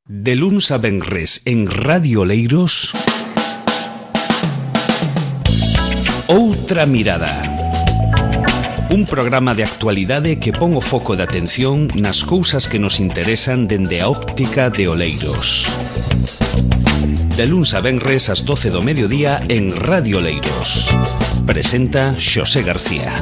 De luns a venres en Radio Oleiros, Outra Mirada. Un programa de actualidade que pon o foco de atención nas cousas que nos interesan dende a óptica de Oleiros. De luns a venres ás 12 do mediodía en Radio Oleiros. Presenta Xosé García.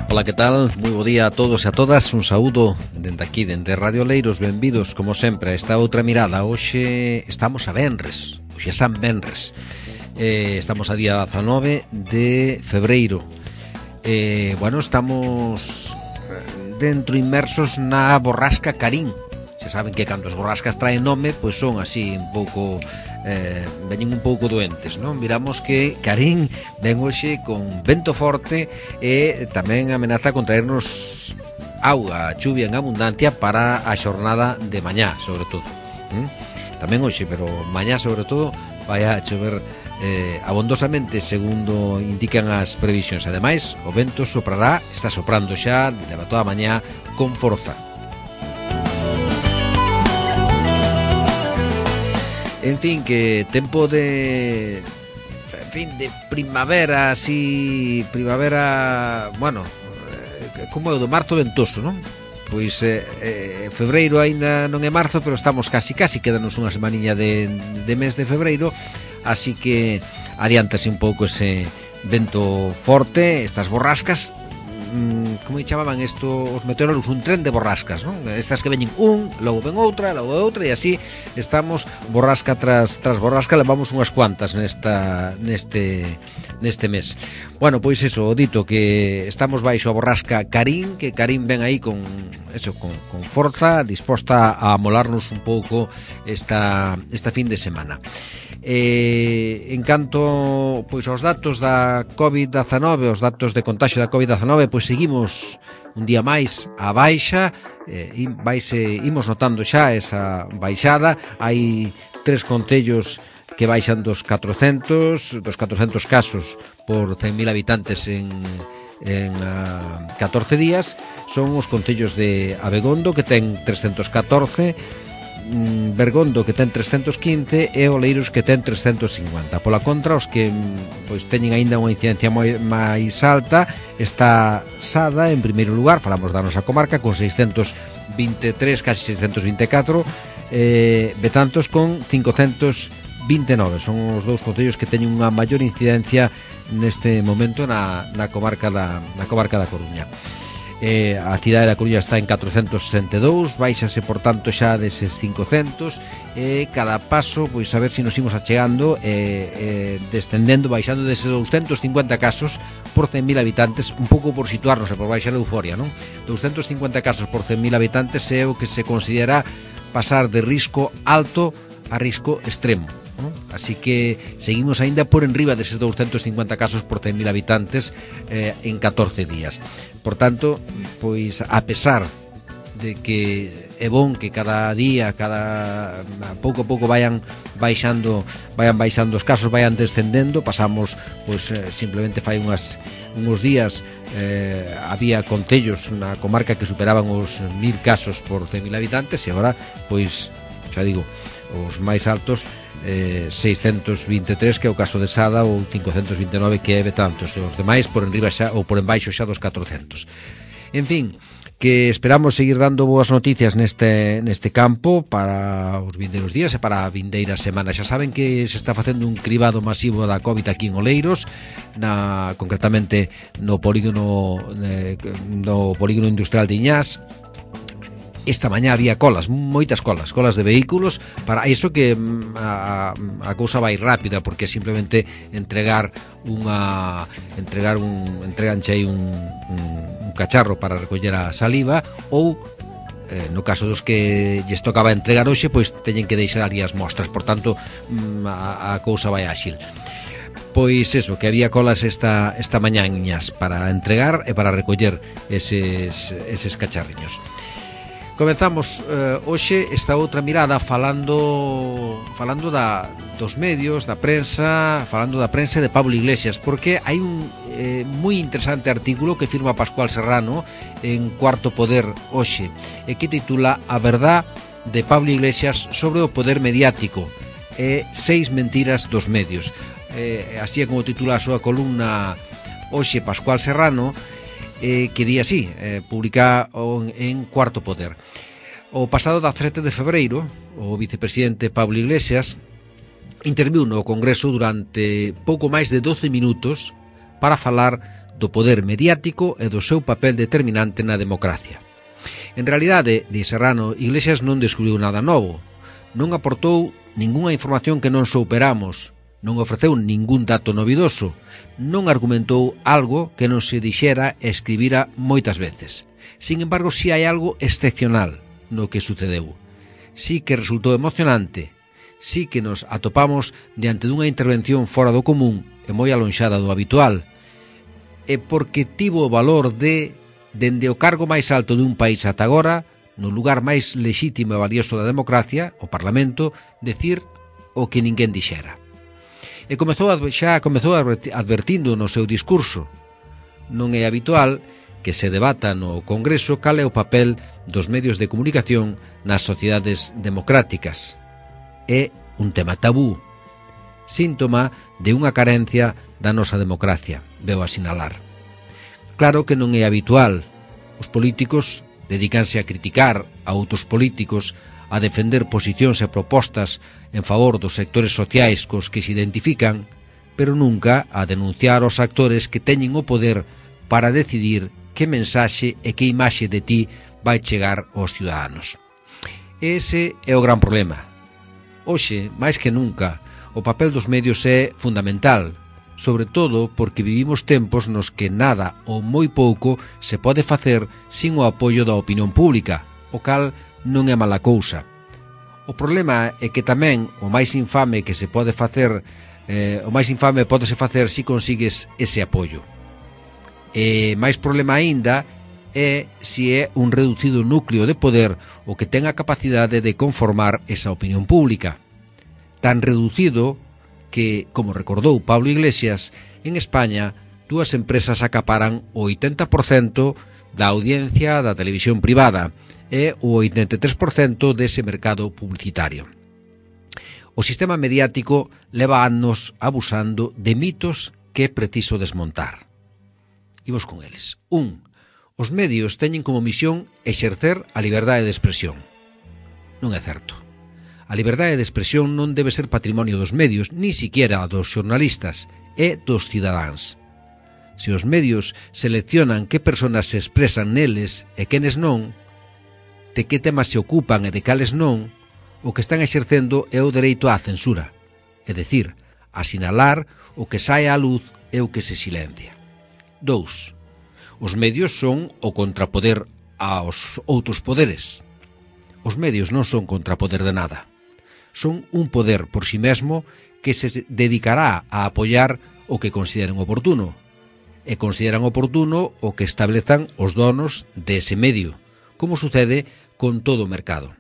Ola, que tal? Moi bo día a todos e a todas. Un saúdo dende aquí, dende Radio Oleiros. Benvidos, como sempre, a esta outra mirada. Hoxe estamos a venres, hoxe é San Venres. Estamos a día 19 de febreiro. Estamos dentro inmersos na borrasca Karin. Se saben que cando as borrascas traen nome, pois son así un pouco... veñen un pouco doentes, non? Miramos que Karin ven hoxe con vento forte e tamén amenaza con traernos auga, chuvia en abundancia para a xornada de mañá, sobre todo. Tamén hoxe, pero mañá sobre todo vai a chover abondosamente, segundo indican as previsións. Ademais, o vento soprará, está soprando xa, leva toda a mañá con forza. En fin, que tempo de... En fin, de primavera, así... Primavera... Bueno, como é o do marzo ventoso, non? Pois febreiro aínda non é marzo, pero estamos casi, quedanos unha semaniña de mes de febreiro, así que adiántase un pouco ese vento forte, estas borrascas. Como chamaban isto os meteorólogos? Un tren de borrascas, non? Estas que veñen logo ven outra, e así estamos borrasca tras borrasca, levamos unhas cuantas neste mes. Bueno, pois eso, o dito, que estamos baixo a borrasca Karin, que Karin ven aí con forza, disposta a amolarnos un pouco esta fin de semana. En canto pois aos datos da COVID-19, os datos de contagio da COVID-19, pois seguimos un día máis a baixa, imos notando xa esa baixada. Hai 3 concellos que baixan dos 400 casos por 100.000 habitantes en 14 días. Son os concellos de Abegondo, que ten 314, Bergondo, que ten 315, e Oleiros, que ten 350. Pola contra, os que pois teñen aínda unha incidencia máis alta, está Sada en primeiro lugar, falamos da nosa comarca, con 623, casi 624, Betanzos con 529. Son os dous concellos que teñen unha maior incidencia neste momento na comarca da Coruña. A cidade da Coruña está en 462, baixase por tanto xa deses 500, e cada paso, pois a ver se nos imos achegando, descendendo, baixando deses 250 casos por 100.000 habitantes, un pouco por situarnos e por baixar a euforia, non? 250 casos por 100.000 habitantes é o que se considera pasar de risco alto a risco extremo, non? Así que seguimos aínda por enriba deses 250 casos por 100.000 habitantes en 14 días. Por tanto, pois a pesar de que é bon que cada día, pouco a pouco vayan baixando os casos, vayan descendendo, pasamos pois simplemente fai uns días había concellos na comarca que superaban os 1.000 casos por 100.000 habitantes, e agora pois xa digo, os máis altos 623, que é o caso de Sada, ou 529, que é Betanzos, e os demais por enriba xa, ou por embaixo xa dos 400. En fin, que esperamos seguir dando boas noticias neste campo para os vindeiros días e para a vindeira semana. Xa saben que se está facendo un cribado masivo da COVID aquí en Oleiros, concretamente no polígono industrial de Iñás. Esta mañá había moitas colas de vehículos, para iso que a cousa vai rápida, porque simplemente entreganche aí un cacharro para recoller a saliva, ou no caso dos que lles tocaba entregar hoxe, pois teñen que deixar ali as mostras, por tanto a cousa vai áxil. Pois eso, que había colas esta mañá en Iñás para entregar e para recoller eses cacharriños. Comezamos hoxe esta outra mirada falando dos medios, da prensa, falando da prensa de Pablo Iglesias, porque hai un moi interesante artículo que firma Pascual Serrano en Cuarto Poder hoxe, e que titula A verdad de Pablo Iglesias sobre o poder mediático e 6 mentiras dos medios. Así é como titula a súa columna hoxe Pascual Serrano, que di así, publica en Cuarto Poder. O pasado 17 de febreiro, o vicepresidente Pablo Iglesias interviu no Congreso durante pouco máis de 12 minutos para falar do poder mediático e do seu papel determinante na democracia. En realidade, di Serrano, Iglesias non descubriu nada novo, non aportou ningunha información que non souperamos, non ofreceu ningún dato novidoso, non argumentou algo que non se dixera e escribira moitas veces. Sin embargo, si hai algo excepcional no que sucedeu. Si que resultou emocionante, si que nos atopamos diante dunha intervención fora do común e moi alonxada do habitual, e porque tivo o valor de, dende o cargo máis alto dun país ata agora, no lugar máis lexítimo e valioso da democracia, o Parlamento, decir o que ninguén dixera. E comezou advertindo no seu discurso. Non é habitual que se debata no Congreso cal é o papel dos medios de comunicación nas sociedades democráticas. É un tema tabú, síntoma de unha carencia da nosa democracia, veo a sinalar. Claro que non é habitual. Os políticos dedícanse a criticar a outros políticos, a defender posicións e propostas en favor dos sectores sociais cos que se identifican, pero nunca a denunciar os actores que teñen o poder para decidir que mensaxe e que imaxe de ti vai chegar aos ciudadanos. Ese é o gran problema. Hoxe, máis que nunca, o papel dos medios é fundamental, sobre todo porque vivimos tempos nos que nada ou moi pouco se pode facer sin o apoio da opinión pública, o cal non é mala cousa. O problema é que tamén o máis infame que se pode facer, o máis infame pódese facer se consigues ese apoio. E máis problema aínda é se é un reducido núcleo de poder o que ten a capacidade de conformar esa opinión pública. Tan reducido que, como recordou Pablo Iglesias, en España dúas empresas acaparan o 80% da audiencia da televisión privada e o 83% dese mercado publicitario. O sistema mediático leva anos abusando de mitos que é preciso desmontar. Imos con eles. 1. Os medios teñen como misión exercer a liberdade de expresión. Non é certo. A liberdade de expresión non debe ser patrimonio dos medios, ni siquiera dos xornalistas, e dos cidadáns. Se os medios seleccionan que persoas se expresan neles e quenes non, de que temas se ocupan e de cales non, o que están exercendo é o dereito á censura, é dicir, a sinalar o que sae á luz e o que se silencia. 2. Os medios son o contrapoder aos outros poderes. Os medios non son contrapoder de nada. Son un poder por si mesmo que se dedicará a apoiar o que consideren oportuno, e consideran oportuno o que establezan os donos dese medio, como sucede con todo o mercado.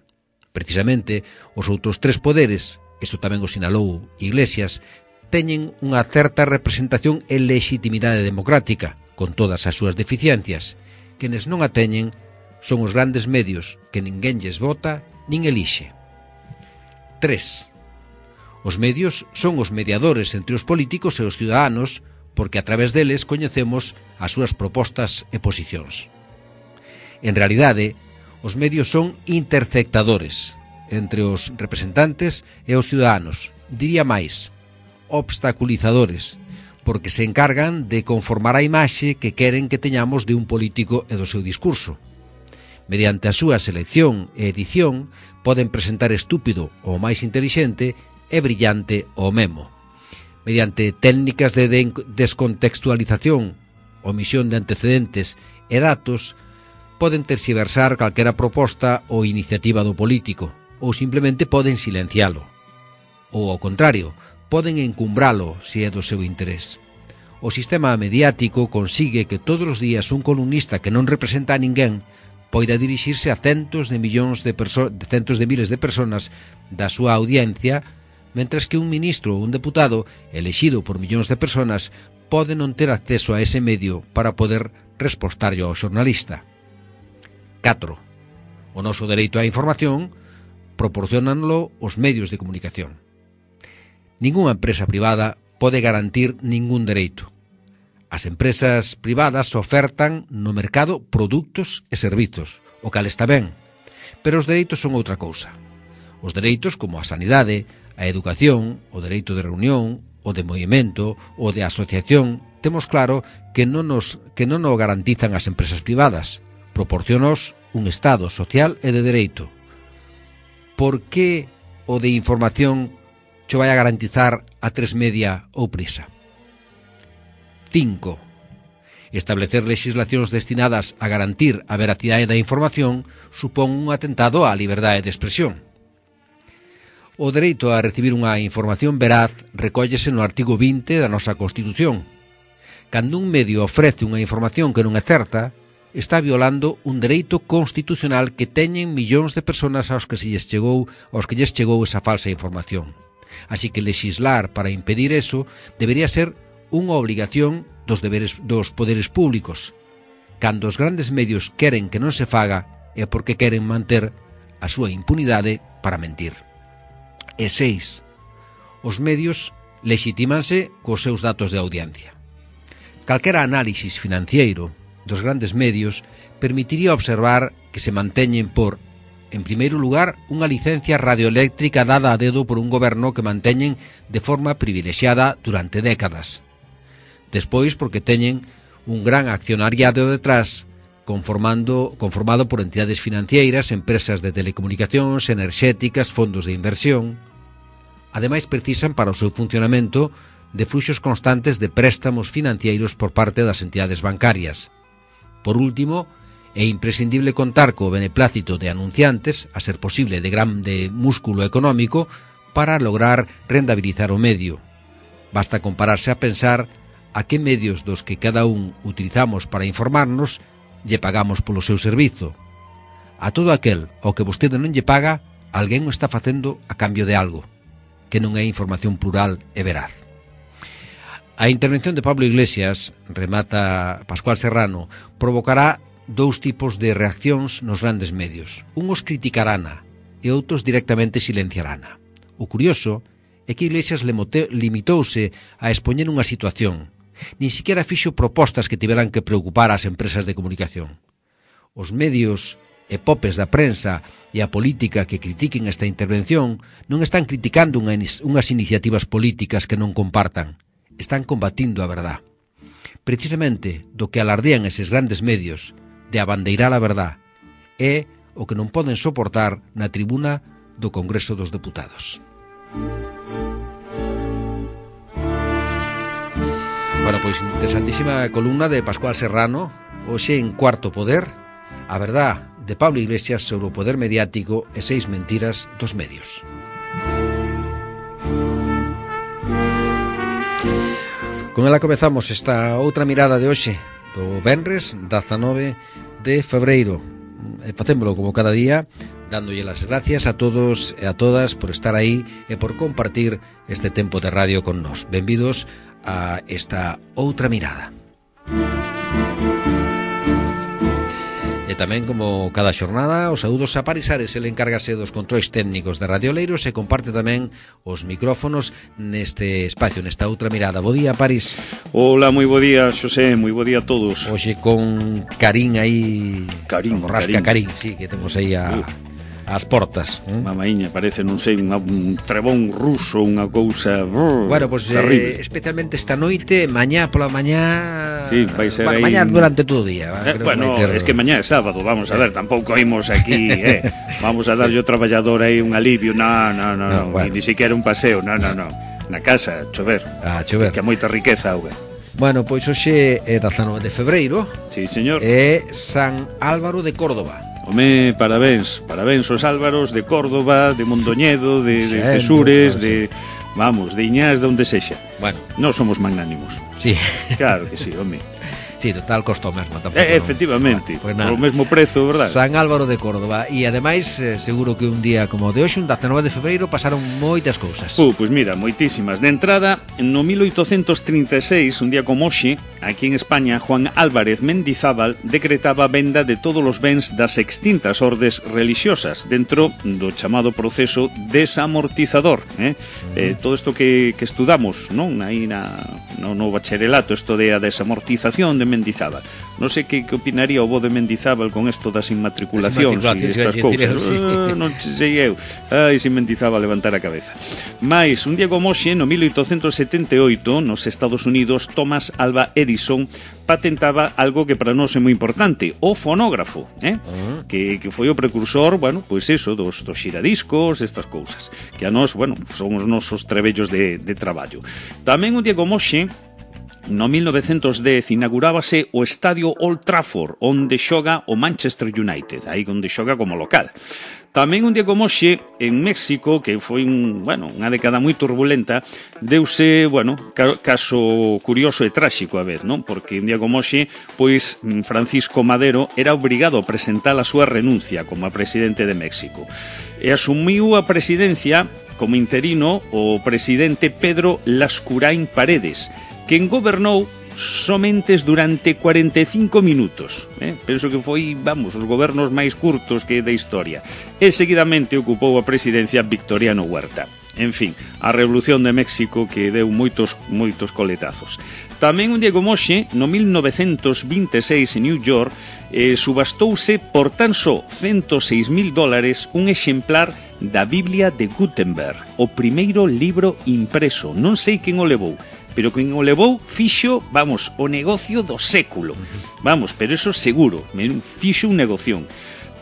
Precisamente, os outros tres poderes, isto tamén o sinalou Iglesias, teñen unha certa representación e legitimidade democrática, con todas as súas deficiencias. Quenes non a teñen son os grandes medios que ninguén lles vota nin elixe. 3. Os medios son os mediadores entre os políticos e os ciudadanos, porque a través deles coñecemos as súas propostas e posicións. En realidade, os medios son interceptadores entre os representantes e os ciudadanos, diría máis, obstaculizadores, porque se encargan de conformar a imaxe que queren que teñamos de un político e do seu discurso. Mediante a súa selección e edición, poden presentar estúpido o máis intelixente e brillante o memo. Mediante técnicas de descontextualización, omisión de antecedentes e datos, poden terxiversar calquera proposta ou iniciativa do político, ou simplemente poden silencialo. Ou, ao contrario, poden encumbralo se é do seu interés. O sistema mediático consigue que todos os días un columnista que non representa a ninguén poida dirixirse a centos de miles de personas da súa audiencia, mentras que un ministro ou un deputado elexido por millóns de personas pode non ter acceso a ese medio para poder respostarlle ao xornalista. 4. O noso dereito á información proporcionanlo os medios de comunicación. Ningunha empresa privada pode garantir ningún dereito. As empresas privadas ofertan no mercado produtos e servizos, o cal está ben, pero os dereitos son outra cousa. Os dereitos como a sanidade, a educación, o dereito de reunión, o de movimento, o de asociación, temos claro que non o garantizan as empresas privadas. Proporciónaos un Estado social e de dereito. Por que o de información cho vai a garantizar a tres media ou Prisa? 5. Establecer legislacións destinadas a garantir a veracidade da información supón un atentado á liberdade de expresión. O dereito a recibir unha información veraz recóllese no artigo 20 da nosa Constitución. Cando un medio ofrece unha información que non é certa, está violando un dereito constitucional que teñen millóns de persoas aos que lles chegou esa falsa información. Así que lexislar para impedir eso debería ser unha obligación dos poderes públicos. Cando os grandes medios queren que non se faga é porque queren manter a súa impunidade para mentir. E 6. Os medios lexitímanse cos seus datos de audiencia. Calquera análisis financiero dos grandes medios permitiría observar que se manteñen por, en primeiro lugar, unha licencia radioeléctrica dada a dedo por un goberno que manteñen de forma privilexiada durante décadas. Despois, porque teñen un gran accionariado detrás, conformado por entidades financeiras, empresas de telecomunicacións, enerxéticas, fondos de inversión. Ademais, precisan para o seu funcionamento de fluxos constantes de préstamos financeiros por parte das entidades bancarias. Por último, é imprescindible contar co beneplácito de anunciantes, a ser posible de grande músculo económico, para lograr rendabilizar o medio. Basta compararse a pensar a que medios dos que cada un utilizamos para informarnos lle pagamos polo seu servizo. A todo aquel ao que vostede non lle paga, alguén o está facendo a cambio de algo, que non é información plural e veraz. A intervención de Pablo Iglesias, remata Pascual Serrano, provocará dous tipos de reaccións nos grandes medios. Uns criticarana e outros directamente silenciarana. O curioso é que Iglesias limitouse a expoñer unha situación. Nin siquiera fixo propostas que tiveran que preocupar ás empresas de comunicación. Os medios e popes da prensa e a política que critiquen esta intervención non están criticando unhas iniciativas políticas que non compartan. Están combatindo a verdad. Precisamente do que alardean eses grandes medios de abandeirar a verdad é o que non poden soportar na tribuna do Congreso dos Deputados. Bueno, pois interesantísima columna de Pascual Serrano, hoxe en Cuarto Poder, a verdad de Pablo Iglesias sobre o poder mediático e 6 mentiras dos medios. Con ela comezamos esta outra mirada de hoxe, do venres 19 de febreiro. E facémolo como cada día, dándolle as gracias a todos e a todas por estar aí e por compartir este tempo de radio con nós. Benvidos a esta outra mirada. E tamén, como cada xornada, os saúdos a Paris Ares, ele encárgase dos controis técnicos de Radio Oleiros e comparte tamén os micrófonos neste espacio, nesta outra mirada. Bo día, Paris. Hola, moi bo día, Xosé, moi bo día a todos. Hoxe con Karim aí, Borrasca Karim, sí, que temos aí ás portas. Mamaíña, parece, non sei, un trebón ruso, unha cousa bueno, pues, especialmente esta noite, mañá pola mañá. Sí, vai ser aí. Mañá durante todo o día. Bueno, es que mañá é sábado, vamos a ver, tampouco imos aquí, vamos a darlle ao traballador aí un alivio, no, bueno. Ni siquiera un paseo, no. Na casa, chover. Chover. Que é moita riqueza, auga. Bueno, pois hoxe é 19 de febreiro. Sí, señor. É San Álvaro de Córdoba. Home, parabéns aos Álvaros de Córdoba, de Mondoñedo, de Cesures, de Iñás, de onde sexa. Bueno, nós somos magnánimos. Sí. Claro que sí, home. Sí, total, costó mesmo tampouco. Efectivamente, pues o mesmo prezo, verdad? San Álvaro de Córdoba. E ademais, seguro que un día como de hoxe, un 19 de febreiro, pasaron moitas cousas. Pois mira, moitísimas. De entrada, no 1836, un día como hoxe, aquí en España, Juan Álvarez Mendizábal decretaba a venda de todos os bens das extintas ordes religiosas dentro do chamado proceso desamortizador. Todo isto que estudamos, non? Aí no bacharelato, isto de a desamortización de Mendizábal. Non sei que opinaría o bo de Mendizábal con isto das inmatriculacións e estas cousas. Non sei eu. Ai, se Mendizábal levantar a cabeza. Mais, un día como hoxe, no 1878, nos Estados Unidos, Thomas Alva Edison patentaba algo que para nós é moi importante, o fonógrafo, que foi o precursor, bueno, pois eso, dos xiradiscos, estas cousas, que a nós, bueno, son os nosos trebellos de traballo. Tamén un día como hoxe, no 1910 inaugurábase o estadio Old Trafford, onde xoga o Manchester United, aí onde xoga como local. Tamén un día como hoxe, en México, que foi unha década moi turbulenta, deuse, caso curioso e tráxico a vez, non? Porque un día como hoxe, pois Francisco Madero era obrigado a presentar a súa renuncia como presidente de México. E asumiu a presidencia como interino o presidente Pedro Lascurain Paredes, quen gobernou somente durante 45 minutos. Penso que foi, os gobernos máis curtos que da historia. E seguidamente ocupou a presidencia Victoriano Huerta. En fin, a Revolución de México que deu moitos coletazos. Tamén un día como hoxe, no 1926 en New York, subastouse por tan só $106.000 un exemplar da Biblia de Gutenberg, o primeiro libro impreso. Non sei quen o levou, pero quen o levou fixo, o negocio do século. Pero eso seguro, fixo un negoción.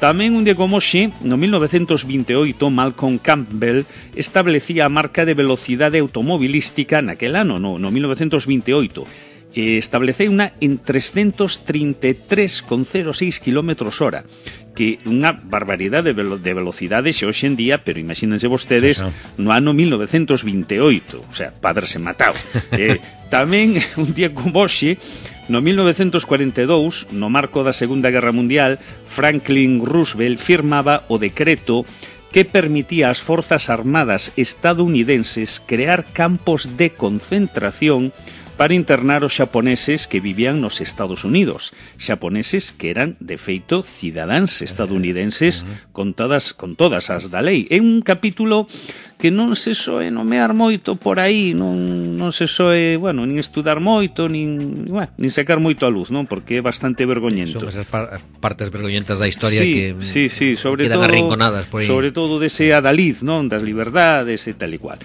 Tamén un día como hoxe, no 1928, Malcolm Campbell establecía a marca de velocidade automobilística naquel ano, no 1928. Estableceu unha en 333,06 km/h, que unha barbaridade de velocidade xe hoxe en día, pero imagínense vostedes no ano 1928, o sea, padre se matau. Tamén un día como hoxe, no 1942, no marco da Segunda Guerra Mundial, Franklin Roosevelt firmaba o decreto que permitía ás forzas armadas estadounidenses crear campos de concentración para internar os xaponeses que vivían nos Estados Unidos, xaponeses que eran, de feito, cidadáns estadounidenses con todas as da lei. É un capítulo que non se soe nomear moito por aí, non se soe, nin estudar moito, nin sacar moito a luz, non? Porque é bastante vergoñento. Son esas partes vergoñentas da historia que quedan arrinconadas por aí. Sobre todo dese adalid, non? Das liberdades e tal e cual.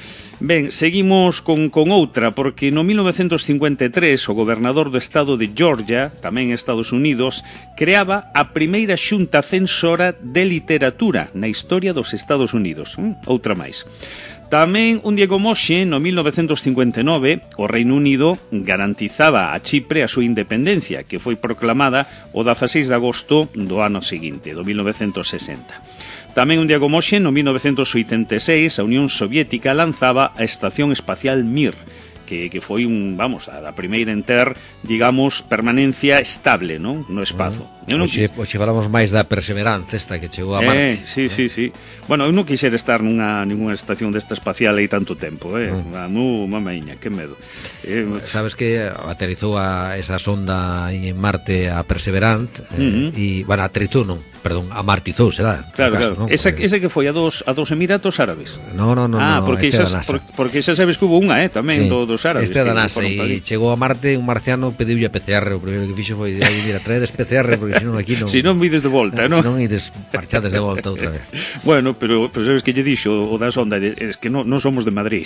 Ben, seguimos con outra, porque no 1953 o gobernador do estado de Georgia, tamén Estados Unidos, creaba a primeira xunta censora de literatura na historia dos Estados Unidos. Outra máis. Tamén un día como hoxe, no 1959, o Reino Unido garantizaba a Chipre a súa independencia, que foi proclamada o 16 de agosto do ano seguinte, do 1960. Tamén un día como hoxe, no 1986, a Unión Soviética lanzaba a Estación Espacial Mir, que foi a primeira en ter, digamos, permanencia estable, non? No espazo. Hoxe falamos máis da Perseverance, esta que chegou a Marte. Sí. Bueno, eu non quixera estar ninguna estación desta espacial aí tanto tempo, mamaíña, que medo. Sabes que aterrizou esa sonda en Marte, a Perseverance, e, aterrizou non, perdón, amartizou, será? Claro. Esa que foi a dos Emiratos Árabes. No, porque xa sabes que hubo unha, tamén dos árabes. Este é da NASA, e chegou a Marte, un marciano pediulle a PCR, o primeiro que fixo foi, mira, traedes PCR, porque senón aquí non... Si non vides de volta, non? Si non ides marchades de volta outra vez. Bueno, pero sabes que lle dixo o da sonda, es que non somos de Madrid.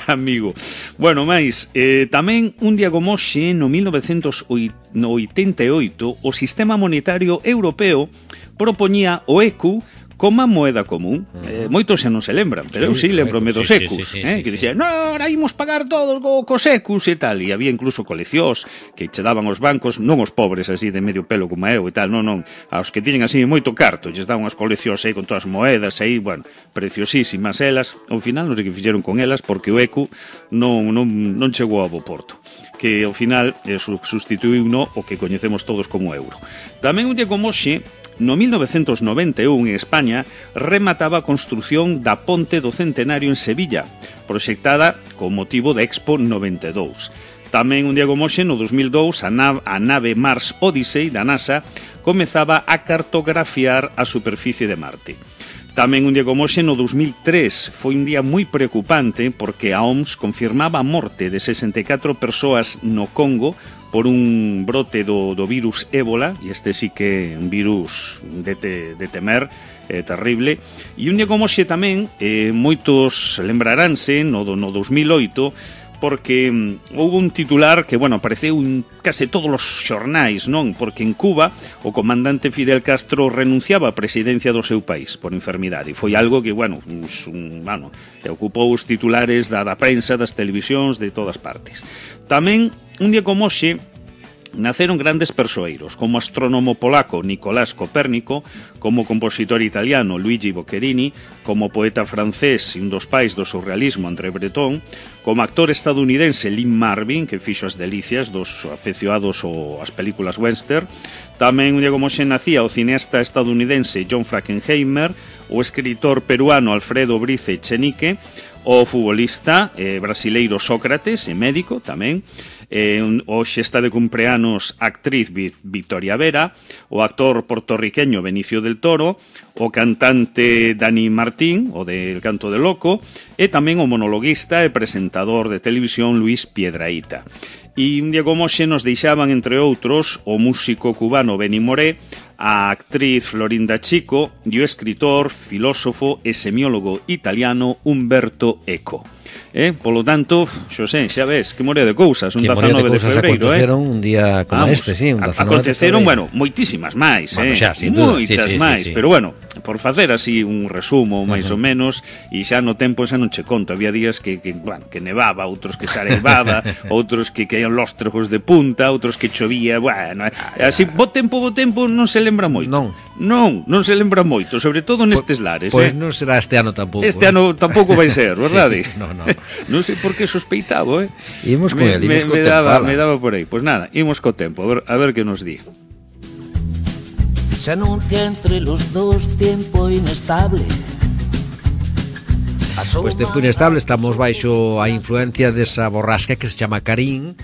Amigo. Bueno, máis, tamén un día como hoxe, no 1988, o Sistema Monetario Europeo propoñía o ECU como a moeda común. Moitos xa non se lembran, pero eu sí lembrome dos ecus, que dixían, no, ahora imos pagar todos cos ecus e tal, e había incluso coleccións que che daban os bancos, non os pobres así de medio pelo como eu e tal, non, aos que tiñen así moito carto, lles daban as coleccións aí con todas as moedas aí, bueno, preciosísimas elas. Ao final non sei que fixeron con elas porque o ecu non chegou a bo porto, que ao final sustituiu o que coñecemos todos como euro. Tamén un día como hoxe, no 1991, en España, remataba a construción da Ponte do Centenario en Sevilla, proxectada con motivo da Expo 92. Tamén un día como hoxe, no 2002, a nave Mars Odyssey da NASA comezaba a cartografiar a superficie de Marte. Tamén un día como hoxe, no 2003, foi un día moi preocupante porque a OMS confirmaba a morte de 64 persoas no Congo por un brote do virus ébola, e este sí que é un virus de temer, terrible. E un día como hoxe tamén, moitos lembraránse no 2008, porque houve un titular que, bueno, apareceu en case todos os xornais, non? Porque en Cuba o comandante Fidel Castro renunciaba á presidencia do seu país por enfermidade, e foi algo que, bueno, ocupou os titulares da prensa, das televisións, de todas partes. Tamén, un día como hoxe, naceron grandes persoeiros, como o astrónomo polaco Nicolás Copérnico, como o compositor italiano Luigi Boccherini, como o poeta francés e un dos pais do surrealismo André Breton, como actor estadounidense Lynn Marvin, que fixo as delicias dos afeccionados ás películas western. Tamén un día como hoxe nacía o cineasta estadounidense John Frankenheimer, o escritor peruano Alfredo Brice Echenique, o futbolista brasileiro Sócrates, e médico tamén. Hoxe está de cumpleanos a actriz Victoria Vera, o actor puertorriqueño Benicio del Toro, o cantante Dani Martín, o del Canto del Loco, e tamén o monologuista e presentador de televisión Luis Piedrahita. E un día como hoxe nos deixaban, entre outros, o músico cubano Benny Moré, a actriz Florinda Chico e o escritor, filósofo e semiólogo italiano Umberto Eco. Polo tanto, Xosé, xa ves, que morea de cousas, un 19 de febreiro, aconteceron un día como este, sí, un 19 aconteceron, bueno, moitísimas máis, xa, sin duda, moitas máis, pero bueno, por facer así un resumo, máis ou menos, e xa no tempo xa non che conto, había días que nevaba, outros que se arevaba, outros que caían lóstregos de punta, outros que chovía, bueno, así, bo tempo non se lembra moito. Non se lembra moito, sobre todo nestes lares. Pois non será este ano tampouco. Este ano tampouco vai ser, verdade? Sí, non. Non sei por que sospeitaba, Imos con ele, imos co tempo. Me daba por aí. Pois nada, imos co tempo, a ver que nos di. Se anuncia entre los dos tiempo inestable. Pois tempo inestable, estamos baixo a influencia desa borrasca que se chama Karim,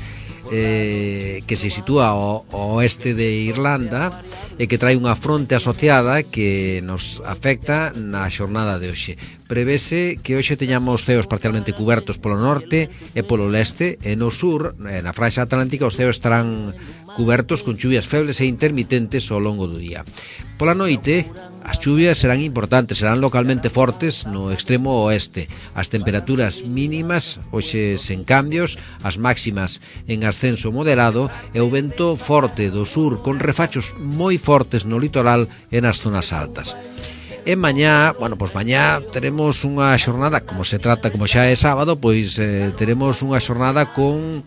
que se sitúa ao oeste de Irlanda e que trae unha fronte asociada que nos afecta na xornada de hoxe. Prevese que hoxe teñamos ceos parcialmente cubertos polo norte e polo leste, e no sur, na fraixa atlántica, os ceos estarán cubertos con chuvias febles e intermitentes ao longo do día. Pola noite, as chuvias serán importantes, serán localmente fortes no extremo oeste. As temperaturas mínimas hoxe sen cambios, as máximas en ascenso moderado e o vento forte do sur con refachos moi fortes no litoral e nas zonas altas. E mañá, mañá teremos unha xornada, como xa é sábado, pois teremos unha xornada con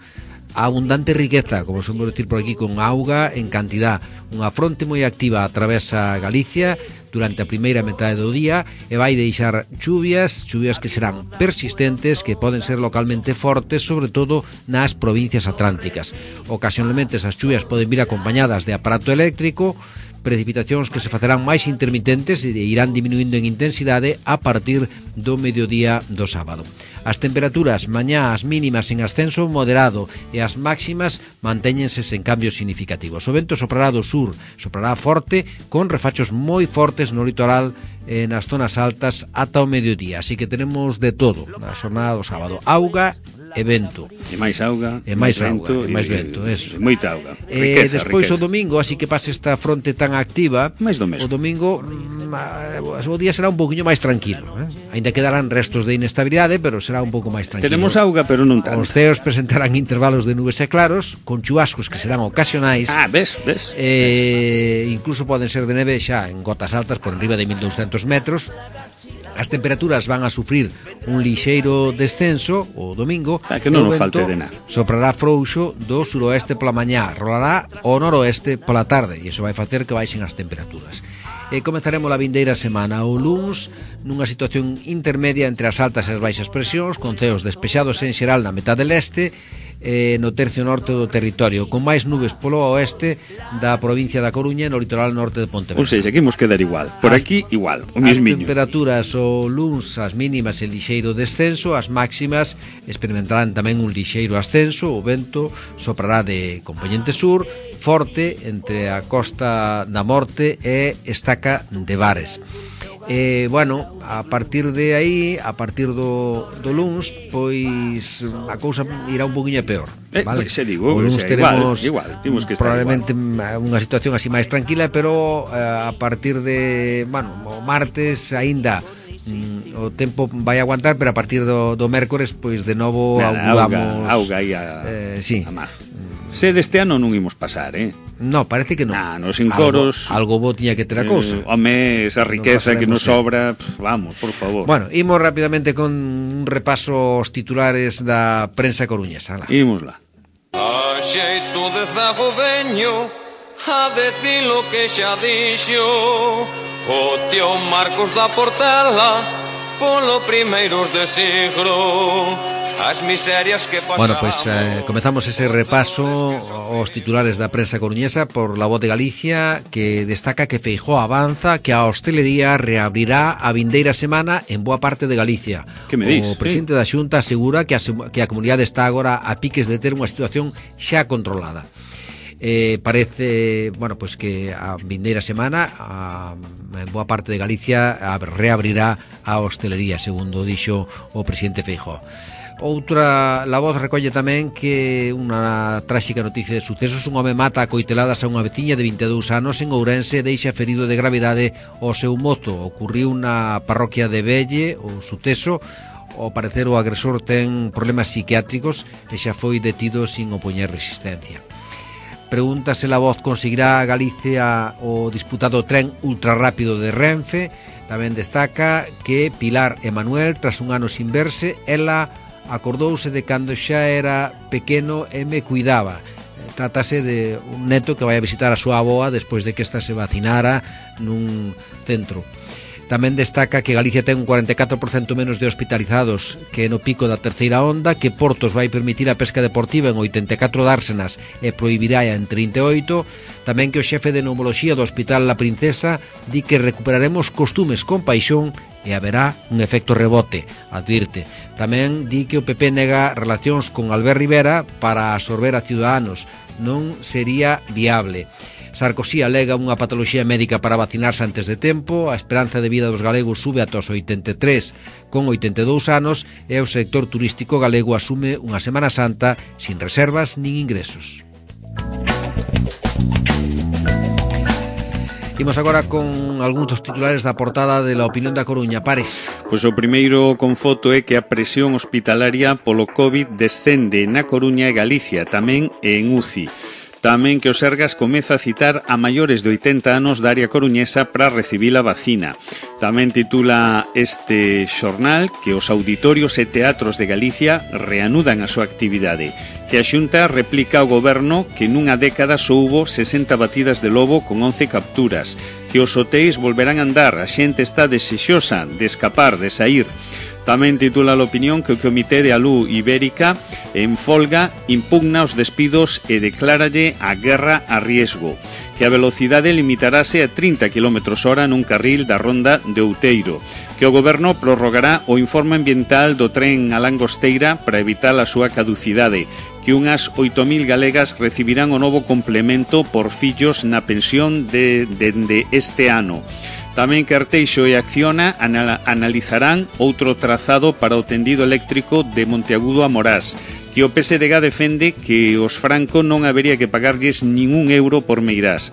abundante riqueza, como somos decir por aquí, con auga en cantidad. Unha fronte moi activa atravesa Galicia durante a primeira metade do día e vai deixar chuvias que serán persistentes, que poden ser localmente fortes, sobre todo nas provincias atlánticas. Ocasionalmente esas chuvias poden vir acompañadas de aparato eléctrico, precipitacións que se facerán máis intermitentes e irán diminuindo en intensidade a partir do mediodía do sábado. As temperaturas mañá as mínimas en ascenso moderado e as máximas mantéñense sen cambios significativos. O vento soprará do sur, soprará forte con refachos moi fortes no litoral e nas zonas altas ata o mediodía. Así que tenemos de todo na xornada do sábado. Auga e vento. E máis auga, e máis vento, eso. Moita auga. Riqueza, despois riqueza. O domingo, así que pase esta fronte tan activa, máis do mesmo. O domingo o día será un poquinho máis tranquilo, Ainda quedarán restos de inestabilidade, pero será un pouco máis tranquilo. Tenemos auga, pero non tanto. Os ceos presentarán intervalos de nubes e claros, con chubascos que serán ocasionais. Ves. Incluso poden ser de neve xa en gotas altas por enriba de 1200 metros. As temperaturas van a sufrir un lixeiro descenso o domingo. Que non nos falte de nada. Soprará frouxo do suroeste pola mañá, rolará ao noroeste pola tarde, e iso vai facer que baixen as temperaturas. Comezaremos a vindeira semana o luns nunha situación intermedia entre as altas e as baixas presións, con ceos despexados en xeral na metade leste, no tercio norte do territorio, con máis nubes polo oeste da provincia da Coruña e no litoral norte de Pontevedra. Ou seja, aquí imos quedar igual. Por aquí, igual, o mismiño. As temperaturas o luns, as mínimas en lixeiro descenso, as máximas experimentarán tamén un lixeiro ascenso, o vento soprará de compoñente sur, forte entre a Costa da Morte e Estaca de Bares. A partir de aí, a partir do luns, pois a cousa irá un poquinho peor, vale? O luns teremos igual, probablemente unha situación así máis tranquila, pero a partir de, o martes aínda o tempo vai aguantar, pero a partir do mércores, pois de novo auguramos auga aí a máis. Se deste ano non imos pasar, No, parece que non. Nos encoros algo bo tiña que ter a cousa. Home, esa riqueza que nos sobra, vamos, por favor. Bueno, imos rapidamente con un repaso aos titulares da prensa coruñesa. Imosla. A xeito de zago veño a decir lo que xa dixo o tío Marcos da Portela polo primeiros de siglo. As miserias que pasamos. Bueno, pues comezamos ese repaso aos titulares da prensa coruñesa por La Voz de Galicia, que destaca que Feijóo avanza que a hostelería reabrirá a vindeira semana en boa parte de Galicia. Que me dis? O presidente da Xunta asegura que a comunidade está agora a piques de ter unha situación xa controlada. Parece, pues que a vindeira semana en boa parte de Galicia reabrirá a hostelería, segundo dixo o presidente Feijóo. Outra, La Voz recolle tamén que unha tráxica noticia de sucesos: un home mata a coiteladas a unha veciña de 22 anos en Ourense e deixa ferido de gravidade o seu mozo. Ocurriu na parroquia de Velle, o suceso. Ao parecer o agresor ten problemas psiquiátricos e xa foi detido sin opoñer resistencia. Pregunta se La Voz conseguirá a Galicia o disputado tren ultrarrápido de Renfe. Tamén destaca que Pilar e Manuel, tras un ano sin verse, ela acordouse de cando xa era pequeno e me cuidaba. Trátase de un neto que vai a visitar a súa avoa despois de que esta se vacinara nun centro. Tamén destaca que Galicia ten un 44% menos de hospitalizados que no pico da terceira onda, que Portos vai permitir a pesca deportiva en 84 dársenas e prohibirá en 38. Tamén que o xefe de neumoloxía do Hospital La Princesa di que recuperaremos costumes con paixón e haberá un efecto rebote, advirte. Tamén di que o PP nega relacións con Albert Rivera para absorber a Ciudadanos. Non sería viable. Sarkozy alega unha patoloxía médica para vacinarse antes de tempo. A esperanza de vida dos galegos sube ata os 83 con 82 anos e o sector turístico galego asume unha Semana Santa sin reservas nin ingresos. Imos agora con algúns dos titulares da portada de La Opinión da Coruña. Pares. Pois o primeiro con foto é que a presión hospitalaria polo COVID descende na Coruña e Galicia, tamén en UCI. Tamén que o Sergas comeza a citar a maiores de 80 anos da área coruñesa para recibir a vacina. Tamén titula este xornal que os auditorios e teatros de Galicia reanudan a súa actividade, que a Xunta replica ao goberno que nunha década só hubo 60 batidas de lobo con 11 capturas, que os hotéis volverán a andar, a xente está desexosa de escapar, de saír. Tamén titula a opinión que o Comité de Alú Ibérica en folga impugna os despidos e decláralle a guerra a riesgo, que a velocidade limitarase a 30 km/h nun carril da ronda de Outeiro, que o goberno prorrogará o informe ambiental do tren a Langosteira para evitar a súa caducidade, que unhas 8.000 galegas recibirán o novo complemento por fillos na pensión dende este ano. Tamén que Arteixo e Acciona analizarán outro trazado para o tendido eléctrico de Monteagudo a Morás, que o PSDG defende que os Franco non habería que pagarlles ningún euro por Meirás,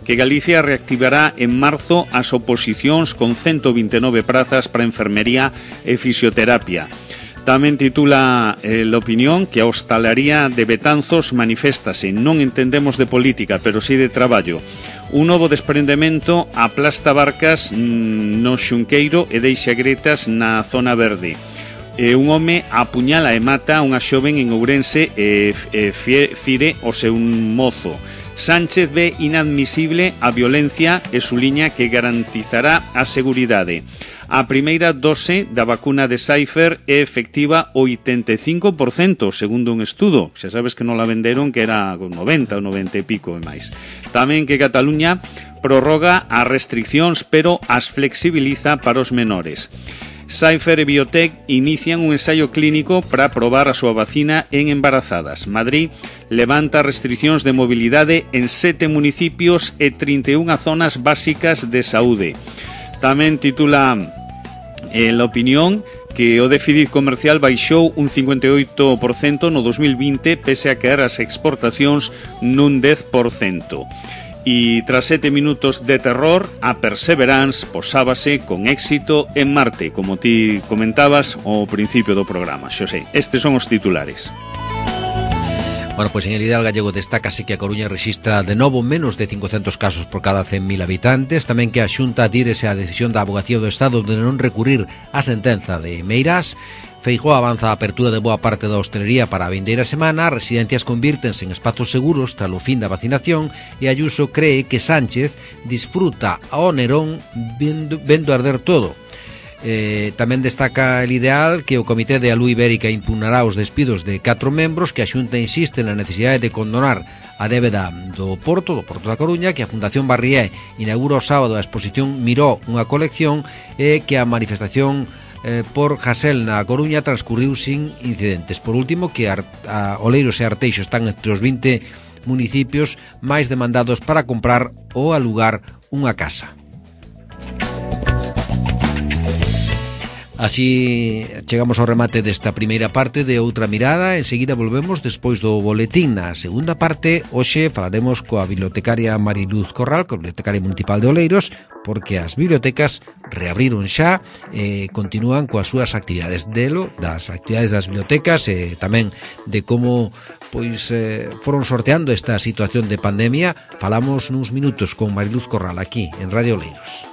que Galicia reactivará en marzo as oposicións con 129 prazas para enfermería e fisioterapia. Tamén titula l'opinión que a hostalaría de Betanzos maniféstase. Non entendemos de política, pero sí de traballo. Un novo desprendemento aplasta barcas no Xunqueiro e deixa gretas na zona verde. Un home apuñala e mata unha xoven en Ourense e fire o seu mozo. Sánchez ve inadmisible a violencia e suliña que garantizará a seguridade. A primeira dose da vacuna de Pfizer é efectiva o 85%, segundo un estudo. Xa sabes que non la venderon, que era 90 ou 90 e pico e máis. Tamén que Cataluña prorroga as restriccións, pero as flexibiliza para os menores. Pfizer e Biotech inician un ensaio clínico para probar a súa vacina en embarazadas. Madrid levanta restriccións de mobilidade en 7 municipios e 31 zonas básicas de saúde. Tamén titula l'opinión que o déficit comercial baixou un 58% no 2020 pese a caer as exportacións nun 10%. E tras 7 minutos de terror, a Perseverance posábase con éxito en Marte, como ti comentabas ao principio do programa. Xosé, estes son os titulares. Bueno, pois en el ideal gallego destácase que a Coruña rexistra de novo menos de 500 casos por cada 100.000 habitantes, tamén que a Xunta adírese á decisión da Avogacía do Estado de non recurrir á sentenza de Meirás. Feijóo avanza a apertura de boa parte da hostelería para a vindeira semana, as residencias convírtense en espazos seguros tras o fin da vacinación e Ayuso cree que Sánchez disfruta ao Nerón vendo arder todo. Tamén destaca el ideal que o Comité de Alú Ibérica impugnará os despidos de 4 membros, que a Xunta insiste na necesidade de condonar a débeda do Porto da Coruña, que a Fundación Barrié inaugura o sábado a exposición Miró, unha colección, e que a manifestación por Hasel na Coruña transcurriu sin incidentes. Por último, que Oleiros e Arteixo están entre os 20 municipios máis demandados para comprar ou alugar unha casa. Así chegamos ao remate desta primeira parte de Outra Mirada. Enseguida volvemos despois do boletín. Na segunda parte, hoxe falaremos coa bibliotecaria Mariluz Corral, coa bibliotecaria municipal de Oleiros, porque as bibliotecas reabriron xa e continúan coas súas actividades. Das actividades das bibliotecas e tamén de como foron sorteando esta situación de pandemia, falamos nuns minutos con Mariluz Corral aquí en Radio Oleiros.